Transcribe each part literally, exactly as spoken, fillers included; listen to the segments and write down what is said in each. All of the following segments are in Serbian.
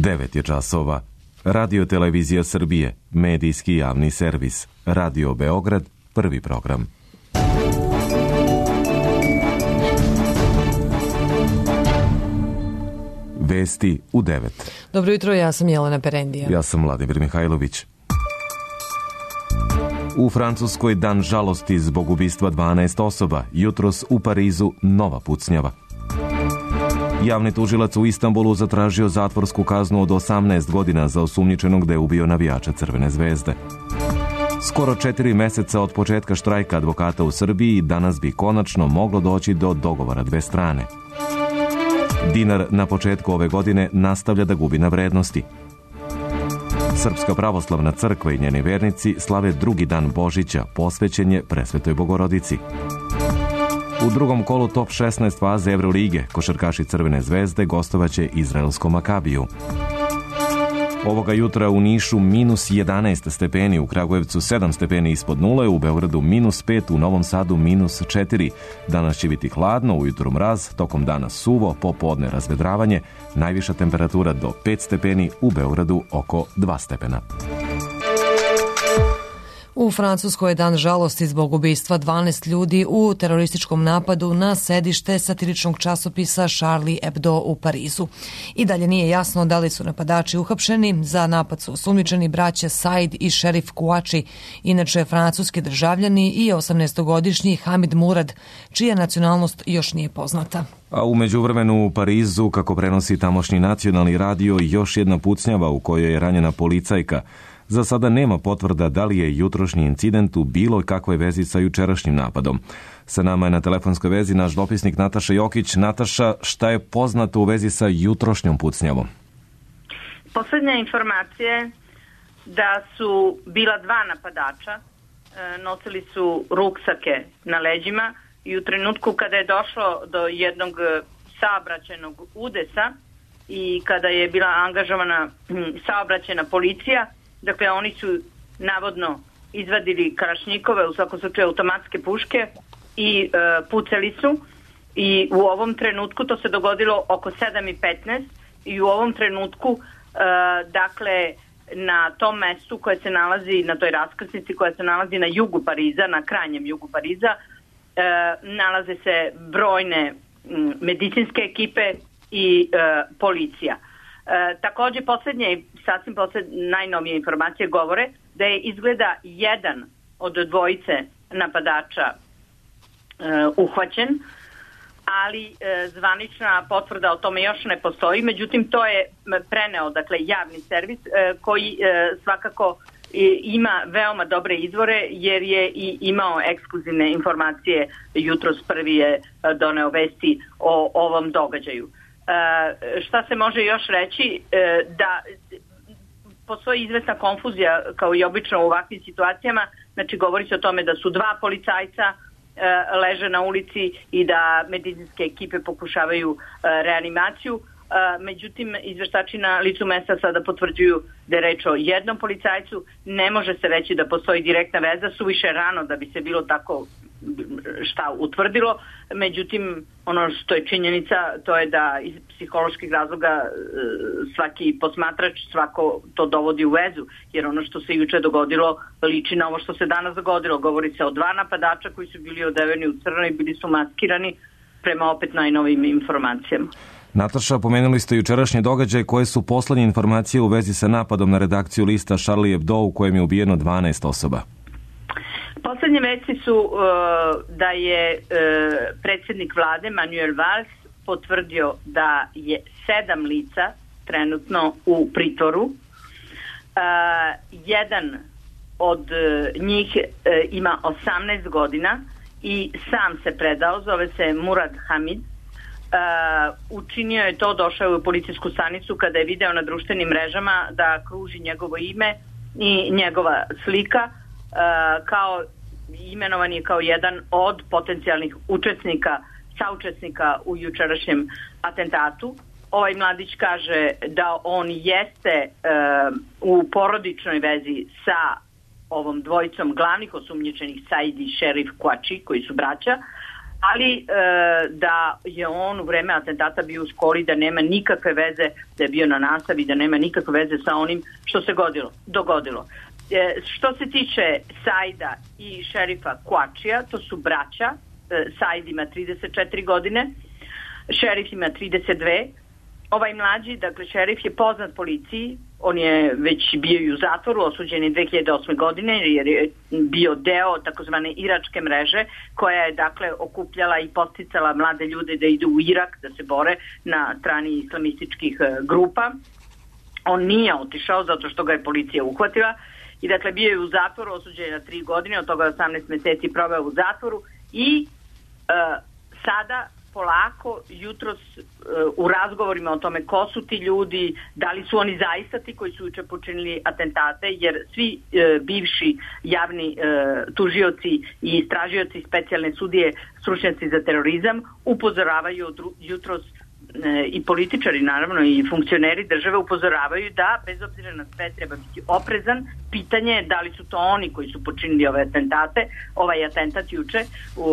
devet je časova. Radio Televizija Srbije, medijski javni servis. Radio Beograd, prvi program. Vesti u devet. Dobro jutro, ja sam Jelena Perendija. Ja sam Vladimir Mihajlović. U Francuskoj dan žalosti zbog ubistva dvanaest osoba. Jutros u Parizu nova pucnjava. Javni tužilac u Istanbulu zatražio zatvorsku kaznu od osamnaest godina za osumnjičenog da je ubio navijača Crvene zvezde. Skoro četiri meseca od početka štrajka advokata u Srbiji danas bi konačno moglo doći do dogovora dve strane. Dinar na početku ove godine nastavlja da gubi na vrednosti. Srpska pravoslavna crkva i njeni vernici slave drugi dan Božića, posvećen je Presvetoj Bogorodici. U drugom kolu top šesnaest faze Evrolige košarkaši Crvene zvezde gostovaće izraelskom Makabiju. Ovoga jutra u Nišu minus jedanaest stepeni, u Kragujevcu sedam stepeni ispod nule, u Beogradu minus pet, u Novom Sadu minus četiri. Danas će biti hladno, ujutru mraz, tokom dana suvo, popodne razvedravanje, najviša temperatura do pet stepeni, u Beogradu oko dva stepena. U Francuskoj je dan žalosti zbog ubistva dvanaest ljudi u terorističkom napadu na sedište satiričnog časopisa Charlie Hebdo u Parizu. I dalje nije jasno da li su napadači uhapšeni. Za napad su osumnjičeni braća Said i šerif Kouachi, inače francuski državljani, i osamnaestogodišnji Hamid Murad, čija nacionalnost još nije poznata. A u međuvremenu u Parizu, kako prenosi tamošnji nacionalni radio, još jedna pucnjava u kojoj je ranjena policajka. Za sada nema potvrda da li je jutrošnji incident u bilo kakvoj vezi sa jučerašnjim napadom. Sa nama je na telefonskoj vezi naš dopisnik Nataša Jokić. Nataša, šta je poznato u vezi sa jutrošnjom pucnjavom? Poslednja informacija je da su bila dva napadača, nosili su ruksake na leđima i u trenutku kada je došlo do jednog saobraćajnog udesa i kada je bila angažovana saobraćajna policija, dakle, oni su navodno izvadili kalašnjikove, u svakom slučaju automatske puške, i e, pucali su. I u ovom trenutku, to se dogodilo oko sedam i petnaest, i u ovom trenutku, e, dakle, na tom mestu koje se nalazi, na toj raskrsnici koja se nalazi na jugu Pariza, na krajnjem jugu Pariza, e, nalaze se brojne m, medicinske ekipe i e, policija. E, takođe, poslednje, sasvim poslednje, najnovije informacije govore da je izgleda jedan od dvojice napadača e, uhvaćen, ali e, zvanična potvrda o tome još ne postoji. Međutim, to je preneo, dakle, javni servis e, koji e, svakako e, ima veoma dobre izvore, jer je i imao ekskluzivne informacije. Jutros prvi je doneo vesti o ovom događaju. Uh, šta se može još reći, uh, da postoji izvesna konfuzija kao i obično u ovakvim situacijama. Znači, govori se o tome da su dva policajca uh, leže na ulici i da medicinske ekipe pokušavaju uh, reanimaciju. Uh, međutim, izveštači na licu mesta sada potvrđuju da je reč o jednom policajcu. Ne može se reći da postoji direktna veza, suviše rano da bi se bilo tako šta utvrdilo. Međutim, ono što je činjenica, to je da iz psiholoških razloga svaki posmatrač, svako to dovodi u vezu, jer ono što se juče dogodilo liči na ovo što se danas dogodilo. Govori se o dva napadača koji su bili odeveni u crno i bili su maskirani, prema opet najnovijim informacijama. Nataša, pomenuli ste jučerašnje događaje. Koje su poslednje informacije u vezi sa napadom na redakciju lista Charlie Hebdo u kojem je ubijeno dvanaest osoba? Poslednje vesti su uh, da je uh, predsjednik vlade Manuel Valls potvrdio da je sedam lica trenutno u pritvoru. Uh, jedan od uh, njih uh, ima osamnaest godina i sam se predao, zove se Murad Hamid. Uh, učinio je to, došao je u policijsku stanicu kada je video na društvenim mrežama da kruži njegovo ime i njegova slika. Uh, kao imenovan je kao jedan od potencijalnih učesnika, saučesnika u jučerašnjem atentatu. Ovaj mladić kaže da on jeste uh, u porodičnoj vezi sa ovom dvojicom glavnih osumnjičenih, Said i šerif Kouachi, koji su braća. ali e, da je on u vreme atentata bio u školi, da nema nikakve veze, da je bio na nastavi, da nema nikakve veze sa onim što se godilo, dogodilo. E, što se tiče Saida i šerifa Kuačija, to su braća, e, Said ima trideset četiri godine, šerif ima trideset dve. Ovaj mlađi, dakle šerif je poznat policiji, on je već bio i u zatvoru, osuđen je dve hiljade osme. godine jer je bio deo takozvane iračke mreže koja je dakle okupljala i podsticala mlade ljude da idu u Irak, da se bore na strani islamističkih grupa. On nije otišao zato što ga je policija uhvatila i dakle bio je u zatvoru, osuđen je na tri godine, od toga osamnaest meseci proveo u zatvoru i e, sada polako, jutros u razgovorima o tome ko su ti ljudi, da li su oni zaista ti koji su juče počinili atentate, jer svi e, bivši javni e, tužioci i istražioci specijalne sudije, stručnjaci za terorizam, upozoravaju jutros e, i političari, naravno, i funkcioneri države upozoravaju da, bez obzira na sve, treba biti oprezan. Pitanje je da li su to oni koji su počinili ove atentate, ovaj atentat juče u,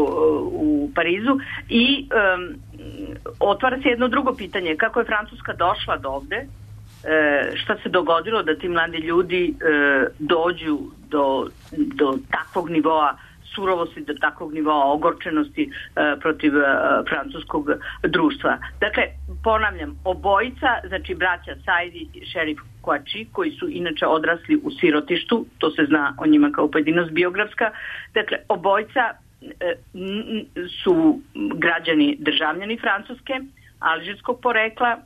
u Parizu i um, otvara se jedno drugo pitanje, kako je Francuska došla do ovde, e, šta se dogodilo da ti mladi ljudi e, dođu do, do takvog nivoa surovosti, do takvog nivoa ogorčenosti e, protiv e, francuskog društva. Dakle, ponavljam, obojica, znači braća Said i šerif Kuači, koji su inače odrasli u sirotištu, to se zna o njima kao pojedinost biografska, dakle, obojica e, n, su građani državljani Francuske, alžirskog porekla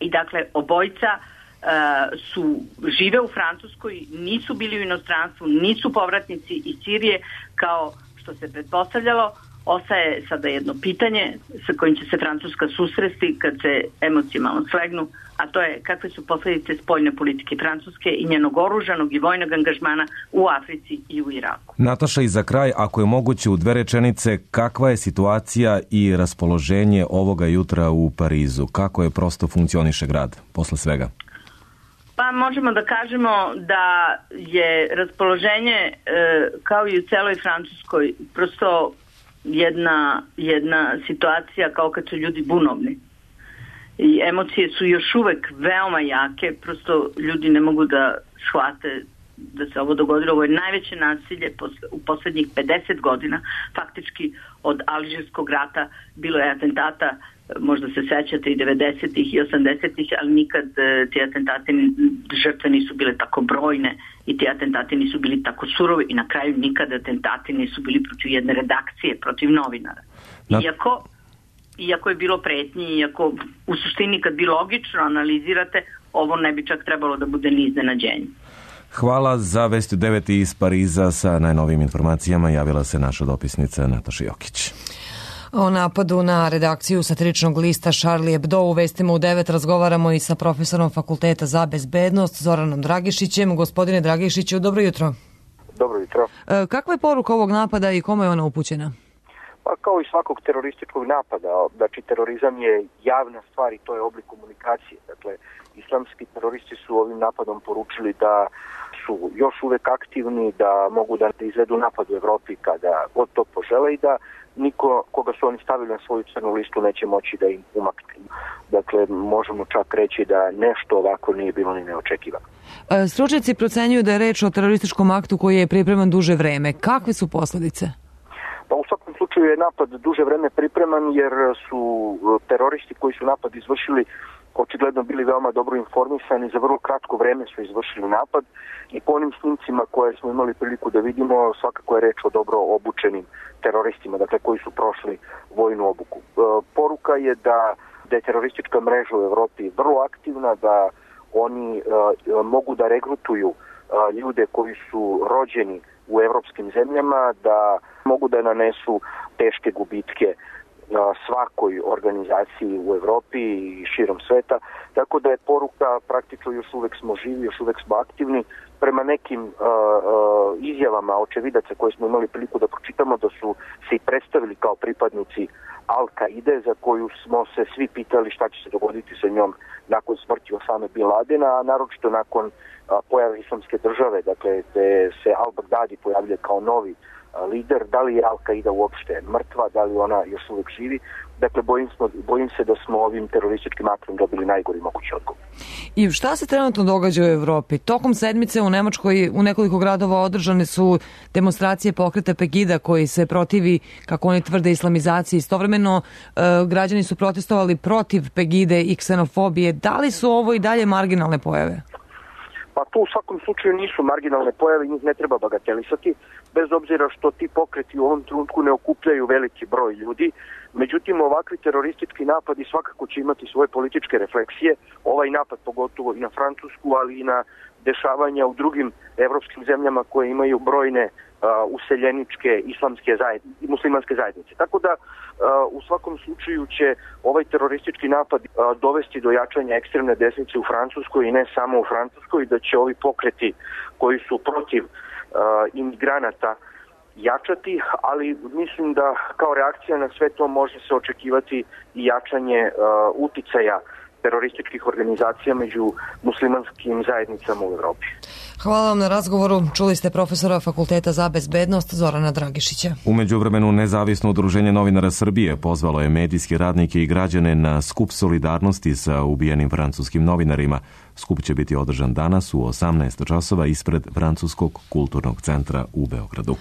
i dakle, obojica Uh, su žive u Francuskoj, nisu bili u inostranstvu, nisu povratnici iz Sirije kao što se pretpostavljalo. Ostaje sada jedno pitanje sa kojim će se Francuska susresti kad se emocije malo slegnu, a to je kakve su posljedice spoljne politike Francuske i njenog oružanog i vojnog angažmana u Africi i u Iraku. Nataša, i za kraj, ako je moguće u dve rečenice, kakva je situacija i raspoloženje ovoga jutra u Parizu? Kako je prosto funkcioniše grad posle svega? Pa možemo da kažemo da je raspoloženje e, kao i u celoj Francuskoj prosto jedna, jedna situacija kao kad su ljudi bunovni. I emocije su još uvek veoma jake, prosto ljudi ne mogu da shvate da se ovo dogodilo. Ovo je najveće nasilje u poslednjih pedeset godina, faktički od Alžirskog rata. Bilo je atentata, možda se sećate, i devedesetih i osamdesetih, ali nikad ti atentati, žrtve nisu bile tako brojne i ti atentati nisu bili tako surovi i na kraju nikad atentati nisu bili protiv jedne redakcije, protiv novinara. Iako, iako je bilo pretnji, iako u suštini kad bi logično analizirate, ovo ne bi čak trebalo da bude ni iznenađenje. Hvala. Za Vesti devet iz Pariza sa najnovijim informacijama javila se naša dopisnica Nataša Jokić. O napadu na redakciju satiričnog lista Charlie Hebdo u Vestima u devet razgovaramo i sa profesorom Fakulteta za bezbednost Zoranom Dragišićem. Gospodine Dragišiću, dobro jutro. Dobro jutro. E, kakva je poruka ovog napada i kome je ona upućena? Pa kao i svakog terorističkog napada, znači terorizam je javna stvar i to je oblik komunikacije. Dakle, islamski teroristi su ovim napadom poručili da su još uvek aktivni, da mogu da izvedu napad u Evropi kada god to požele i da niko koga su oni stavili na svoju crnu listu neće moći da im umakne. Dakle, možemo čak reći da nešto ovako nije bilo ni neočekivano. Stručnjaci procenjuju da je reč o terorističkom aktu koji je pripreman duže vreme. Kakve su posledice? Pa u svakom slučaju je napad duže vreme pripreman jer su teroristi koji su napad izvršili očigledno bili veoma dobro informisani, za vrlo kratko vreme su izvršili napad i po onim snimcima koje smo imali priliku da vidimo svakako je reč o dobro obučenim teroristima, dakle koji su prošli vojnu obuku. E, poruka je da, da je teroristička mreža u Evropi vrlo aktivna, da oni e, mogu da regrutuju e, ljude koji su rođeni u evropskim zemljama, da mogu da nanesu teške gubitke svakoj organizaciji u Evropi i širom sveta, tako da je poruka praktično još uvek smo živi, još uvek smo aktivni. Prema nekim uh, uh, izjavama očevidaca koje smo imali priliku da pročitamo, da su se i predstavili kao pripadnici Al-Kaide, za koju smo se svi pitali šta će se dogoditi sa njom nakon smrti Osame Bin Ladena, a naročito nakon uh, pojave islamske države, dakle gde se Al-Baghdadi pojavljuje kao novi lider, da li je Al-Qaida uopšte mrtva, da li ona još uvijek živi. Dakle, bojim, smo, bojim se da smo ovim terorističkim aktom dobili najgori mogući odgovor. I šta se trenutno događa u Evropi? Tokom sedmice u Nemačkoj u nekoliko gradova održane su demonstracije pokreta Pegida koji se protivi, kako oni tvrde, islamizaciji. Istovremeno e, građani su protestovali protiv Pegide i ksenofobije. Da li su ovo i dalje marginalne pojave? Pa to u svakom slučaju nisu marginalne pojave, njih ne treba bagatelisati, bez obzira što ti pokreti u ovom trenutku ne okupljaju veliki broj ljudi. Međutim, ovakvi teroristički napadi svakako će imati svoje političke refleksije, ovaj napad pogotovo i na Francusku, ali i na dešavanja u drugim evropskim zemljama koje imaju brojne uh, useljeničke islamske zajednice, muslimanske zajednice. Tako da uh, u svakom slučaju će ovaj teroristički napad uh, dovesti do jačanja ekstremne desnice u Francuskoj i ne samo u Francuskoj, da će ovi pokreti koji su protiv uh, imigranata jačati, ali mislim da kao reakcija na sve to može se očekivati i jačanje uh, uticaja terorističkih organizacija među muslimanskim zajednicama u Evropi. Hvala vam na razgovoru. Čuli ste profesora Fakulteta za bezbednost Zorana Dragišića. U međuvremenu Nezavisno udruženje novinara Srbije pozvalo je medijske radnike i građane na skup solidarnosti sa ubijenim francuskim novinarima. Skup će biti održan danas u osamnaest časova ispred Francuskog kulturnog centra u Beogradu.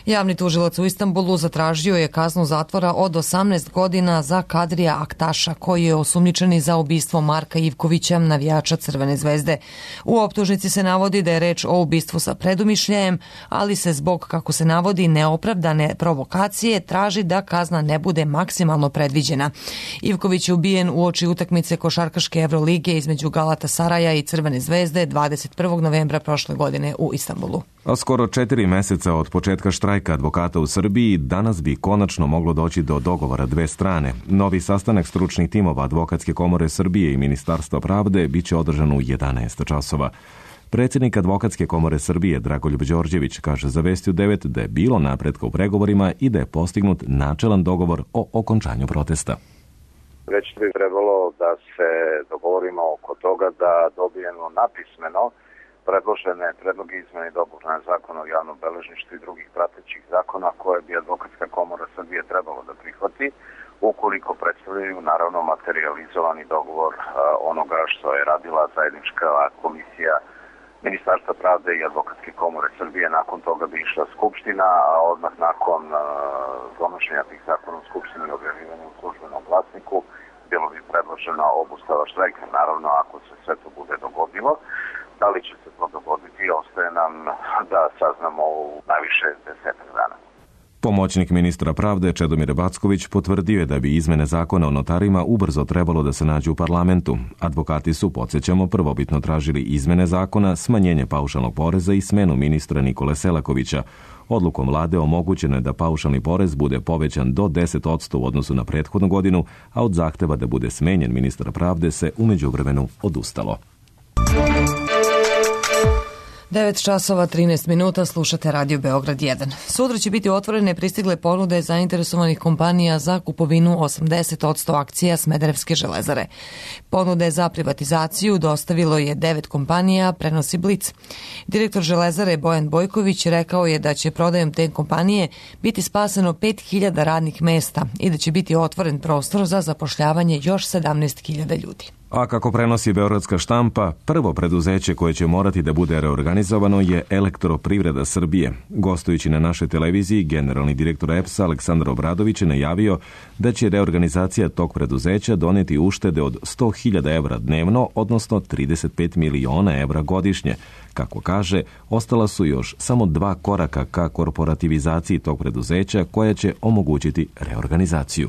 Javni tužilac u Istanbulu zatražio je kaznu zatvora od osamnaest godina za Kadrija Aktaša, koji je osumnjičeni za ubistvo Marka Ivkovića, navijača Crvene zvezde. U optužnici se navodi da je reč o ubistvu sa predumišljajem, ali se zbog, kako se navodi, neopravdane provokacije traži da kazna ne bude maksimalno predviđena. Ivković je ubijen uoči utakmice košarkaške Evrolige između Galatasaraja i Crvene zvezde dvadeset prvog novembra prošle godine u Istanbulu. A skoro četiri meseca od početka štrajka advokata u Srbiji, danas bi konačno moglo doći do dogovora dve strane. Novi sastanak stručnih timova Advokatske komore Srbije i Ministarstva pravde biće održan u jedanaest časova. Predsjednik Advokatske komore Srbije Dragoljub Đorđević kaže za Vesti u devet da je bilo napretka u pregovorima i da je postignut načelan dogovor o okončanju protesta. Već bi trebalo da se dogovorimo oko toga da dobijemo napismeno predložene predloge izmjene i dopune zakona o javnom beležništvu i drugih pratećih zakona koje bi Advokatska komora Srbije trebalo da prihvati, ukoliko predstavljaju naravno materializovani dogovor a, onoga što je radila zajednička komisija Ministarstva pravde i Advokatske komore Srbije. Nakon toga bi išla Skupština, a odmah nakon a, donošenja tih zakona u Skupštini i objavljivanja u službenom glasniku bilo bi predložena obustava štrajka. Naravno, ako se sve to bude dogodilo, da li će se to dogoditi, ostaje nam da saznamo u najviše desetak dana. Pomoćnik ministra pravde Čedomir Backović potvrdio je da bi izmene zakona o notarima ubrzo trebalo da se nađu u parlamentu. Advokati su, podsjećamo, prvobitno tražili izmene zakona, smanjenje paušalnog poreza i smenu ministra Nikole Selakovića. Odlukom vlade omogućeno je da paušalni porez bude povećan do deset posto u odnosu na prethodnu godinu, a od zahteva da bude smenjen ministar pravde se u međuvremenu odustalo. devet časova trinaest minuta, slušate Radio Beograd jedan. Sutra će biti otvorene pristigle ponude zainteresovanih kompanija za kupovinu osamdeset posto akcija Smederevske železare. Ponude za privatizaciju dostavilo je devet kompanija, prenosi Blic. Direktor železare Bojan Bojković rekao je da će prodajom te kompanije biti spaseno pet hiljada radnih mesta i da će biti otvoren prostor za zapošljavanje još sedamnaest hiljada ljudi. A kako prenosi Beogradska štampa, prvo preduzeće koje će morati da bude reorganizovano je Elektroprivreda Srbije. Gostujući na našoj televiziji, generalni direktor E P S-a Aleksandar Obradović je najavio da će reorganizacija tog preduzeća doneti uštede od sto hiljada evra dnevno, odnosno trideset pet miliona evra godišnje. Kako kaže, ostala su još samo dva koraka ka korporativizaciji tog preduzeća koja će omogućiti reorganizaciju.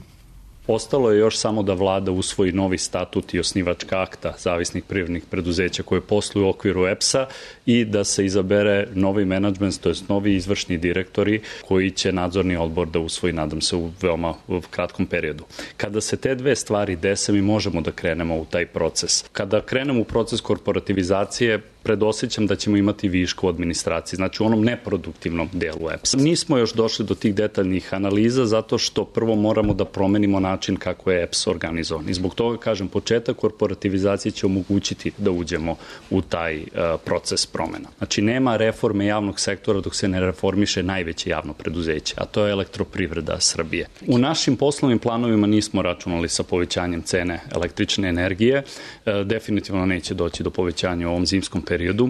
Ostalo je još samo da vlada usvoji novi statut i osnivačka akta zavisnih privrednih preduzeća koje posluju u okviru E P S-a i da se izabere novi menadžment, to jest novi izvršni direktori koji će nadzorni odbor da usvoji, nadam se, u veoma u kratkom periodu. Kada se te dve stvari dese, mi možemo da krenemo u taj proces. Kada krenemo u proces korporativizacije, predosjećam da ćemo imati višku u administraciji, znači u onom neproduktivnom delu E P S-a. Nismo još došli do tih detaljnih analiza zato što prvo moramo da promenimo način kako je E P S organizovan. I zbog toga, kažem, početak korporativizacije će omogućiti da uđemo u taj uh, proces promena. Znači, nema reforme javnog sektora dok se ne reformiše najveće javno preduzeće, a to je Elektroprivreda Srbije. U našim poslovnim planovima nismo računali sa povećanjem cene električne energije. Uh, definitivno neće doći do povećanja u ovom zimskom periodu.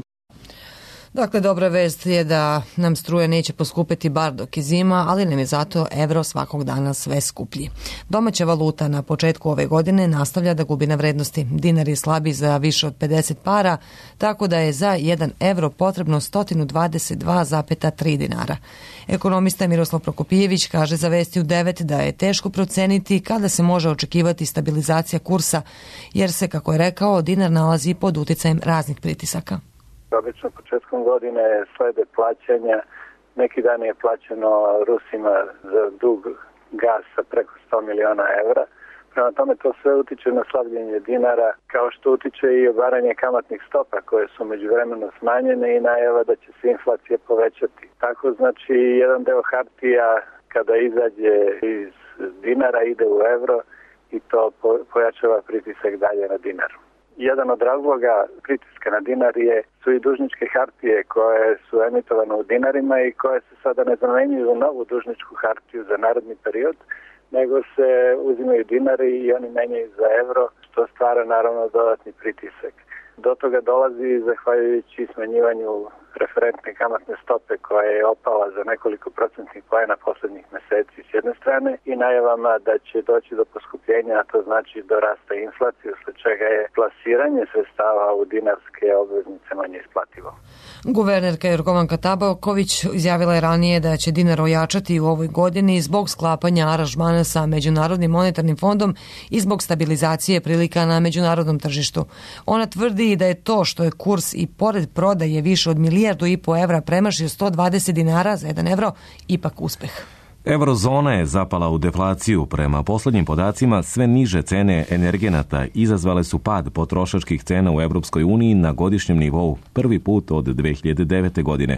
Dakle, dobra vest je da nam struje neće poskupeti bar dok je zima, ali nam je zato evro svakog dana sve skuplji. Domaća valuta na početku ove godine nastavlja da gubi na vrednosti. Dinar je slabiji za više od pedeset para, tako da je za jedan evro potrebno sto dvadeset dva zarez tri dinara. Ekonomista Miroslav Prokopijević kaže za Vesti u devet da je teško proceniti kada se može očekivati stabilizacija kursa, jer se, kako je rekao, dinar nalazi pod uticajem raznih pritisaka. Obično početkom godine slede plaćanja. Neki dan je plaćeno Rusima za dug gasa preko sto miliona evra. Prema tome to sve utiče na slabljenje dinara, kao što utiče i obaranje kamatnih stopa koje su međuvremeno smanjene i najava da će se inflacija povećati. Tako znači jedan deo hartija kada izađe iz dinara ide u evro i to pojačava pritisak dalje na dinar. Jedan od razloga pritiska na dinar je, su i dužničke hartije koje su emitovane u dinarima i koje se sada ne zamenjuju u novu dužničku hartiju za naredni period, nego se uzimaju dinari i oni menjaju za evro, što stvara naravno dodatni pritisak. Do toga dolazi zahvaljujući smanjivanju referentne kamatne stope koja je opala za nekoliko procentnih poena poslednjih meseci s jedne strane i najavama da će doći do poskupljenja, a to znači do rasta inflacije, usled čega je plasiranje sredstava u dinarske obveznice manje isplativo. Guvernerka Jorgovanka Tabaković izjavila je ranije da će dinar ojačati u ovoj godini zbog sklapanja aranžmana sa Međunarodnim monetarnim fondom i zbog stabilizacije prilika na međunarodnom tržištu. Ona tvrdi da je to što je kurs i pored prodaje više od milijardu i po evra premašio sto dvadeset dinara za jedan evro, ipak uspeh. Eurozona je zapala u deflaciju. Prema poslednjim podacima, sve niže cene energenata izazvale su pad potrošačkih cena u Evropskoj uniji na godišnjem nivou prvi put od dve hiljade devete. godine.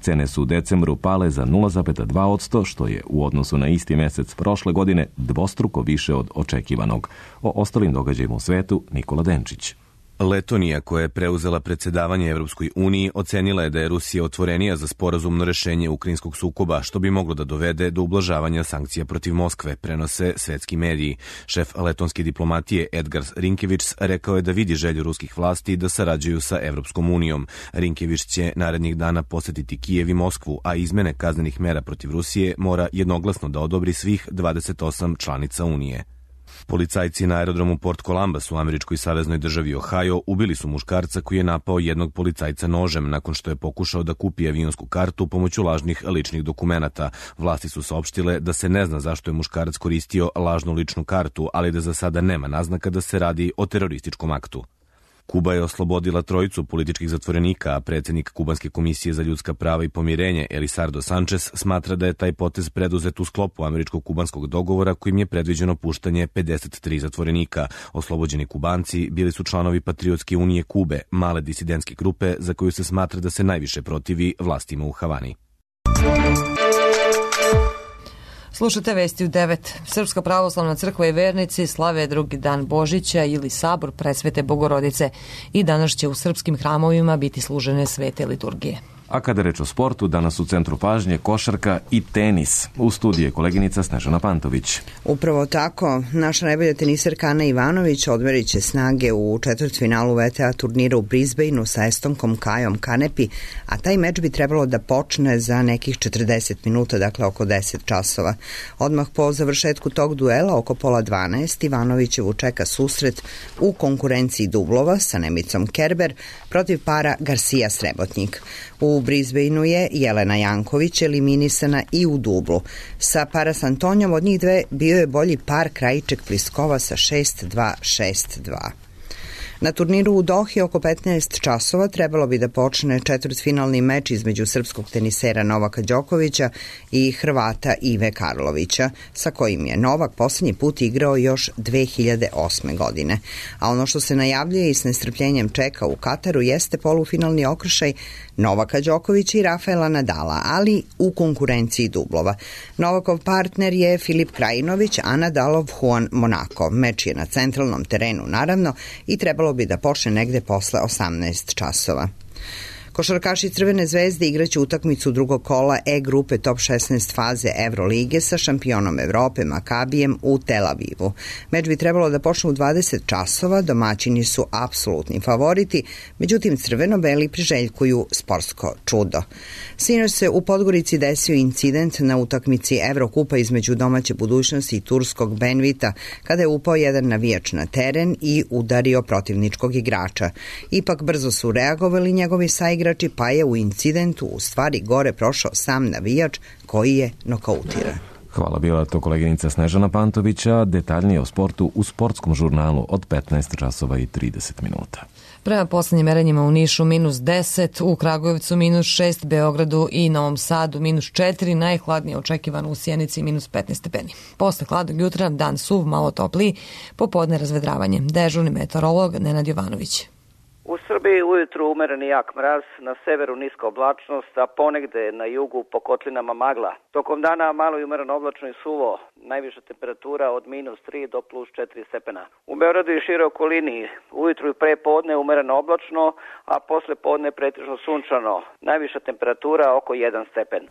Cene su u decembru pale za nula zarez dva posto, što je u odnosu na isti mesec prošle godine dvostruko više od očekivanog. O ostalim događajima u svetu Nikola Denčić. Letonija, koja je preuzela predsedavanje Evropskoj uniji, ocenila je da je Rusija otvorenija za sporazumno rešenje ukrajinskog sukoba, što bi moglo da dovede do ublažavanja sankcija protiv Moskve, prenose svetski mediji. Šef letonske diplomatije Edgars Rinkevičs rekao je da vidi želju ruskih vlasti da sarađuju sa Evropskom unijom. Rinkevičs će narednih dana posetiti Kijev i Moskvu, a izmene kaznenih mera protiv Rusije mora jednoglasno da odobri svih dvadeset osam članica Unije. Policajci na aerodromu Port Columbus u američkoj saveznoj državi Ohio ubili su muškarca koji je napao jednog policajca nožem nakon što je pokušao da kupi avionsku kartu pomoću lažnih ličnih dokumenata. Vlasti su saopštile da se ne zna zašto je muškarac koristio lažnu ličnu kartu, ali da za sada nema naznaka da se radi o terorističkom aktu. Kuba je oslobodila trojicu političkih zatvorenika, a predsjednik Kubanske komisije za ljudska prava i pomirenje Elisardo Sanchez smatra da je taj potez preduzet u sklopu američko-kubanskog dogovora kojim je predviđeno puštanje pedeset tri zatvorenika. Oslobođeni Kubanci bili su članovi Patriotske unije Kube, male disidentske grupe za koju se smatra da se najviše protivi vlastima u Havani. Slušate Vesti u devet. Srpska pravoslavna crkva i vernici slave drugi dan Božića ili sabor Presvete Bogorodice i danas će u srpskim hramovima biti služene svete liturgije. A kada reč o sportu, danas u centru pažnje košarka i tenis. U studiju je koleginica Snežana Pantović. Upravo tako, naša najbolja teniserka Ana Ivanović odmerit će snage u četvrtfinalu V T A turnira u Brisbaneu sa Estonkom Kajom Kanepi, a taj meč bi trebalo da počne za nekih četrdeset minuta, dakle oko deset časova. Odmah po završetku tog duela, oko pola dvanaest, Ivanovićevu čeka susret u konkurenciji dublova sa Nemicom Kerber protiv para Garcia Srebotnik. U Brisbaneu je Jelena Janković eliminisana i u dublu. Sa para s Antonijom od njih dve bio je bolji par Krajiček Pliskova sa šest dva šest dva. Na turniru u Dohi oko petnaest časova trebalo bi da počne četvrtfinalni meč između srpskog tenisera Novaka Đokovića i Hrvata Ive Karlovića, sa kojim je Novak posljednji put igrao još dve hiljade osme. godine. A ono što se najavljuje i s nestrpljenjem čeka u Kataru jeste polufinalni okršaj Novaka Đokovića i Rafaela Nadala, ali u konkurenciji dublova. Novakov partner je Filip Krajinović, a Nadalov Juan Monaco. Meč je na centralnom terenu, naravno, i trebalo bi da počne negde posle osamnaest časova. Košarkaši Crvene zvezde igraće utakmicu drugog kola E grupe top šesnaest faze Evrolige sa šampionom Evrope Makabijem u Tel Avivu. Meč bi trebalo da počne u dvadeset časova, domaćini su apsolutni favoriti, međutim crveno-beli priželjkuju sportsko čudo. Sinoć se u Podgorici desio incident na utakmici Evrokupa između domaće Budućnosti i turskog Benvita, kada je upao jedan navijač na teren i udario protivničkog igrača. Ipak brzo su reagovali njegovi saigrači, pa je u incidentu u stvari gore prošao sam navijač koji je nokautiran. Hvala, bila to koleginica Snežana Pantovića. Detaljnije o sportu u sportskom žurnalu od petnaest časova i trideset minuta. Prema poslednjim merenjima u Nišu minus deset, u Kragujevcu minus šest, Beogradu i Novom Sadu minus četiri, najhladnije očekivano u Sjenici minus petnaest stepeni. Posle hladnog jutra dan suv, malo topliji, popodne razvedravanje. Dežurni meteorolog Nenad Jovanović. U Srbiji ujutru umereni jak mraz, na severu niska oblačnost, a ponegde na jugu po kotlinama magla. Tokom dana malo i umereno oblačno i suvo, najviša temperatura od minus tri do plus četiri stepena. U Beogradu i šire okolini ujutru i pre podne umereno oblačno, a posle podne pretežno sunčano, najviša temperatura oko jedan stepen.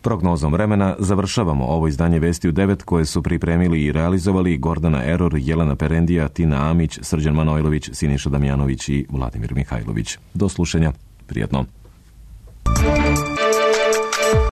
Prognozom vremena završavamo ovo izdanje Vesti u devet koje su pripremili i realizovali Gordana Eror, Jelena Perendija, Tina Amić, Srđan Manojlović, Siniša Damjanović i Vladimir Mihajlović. Do slušanja. Prijatno.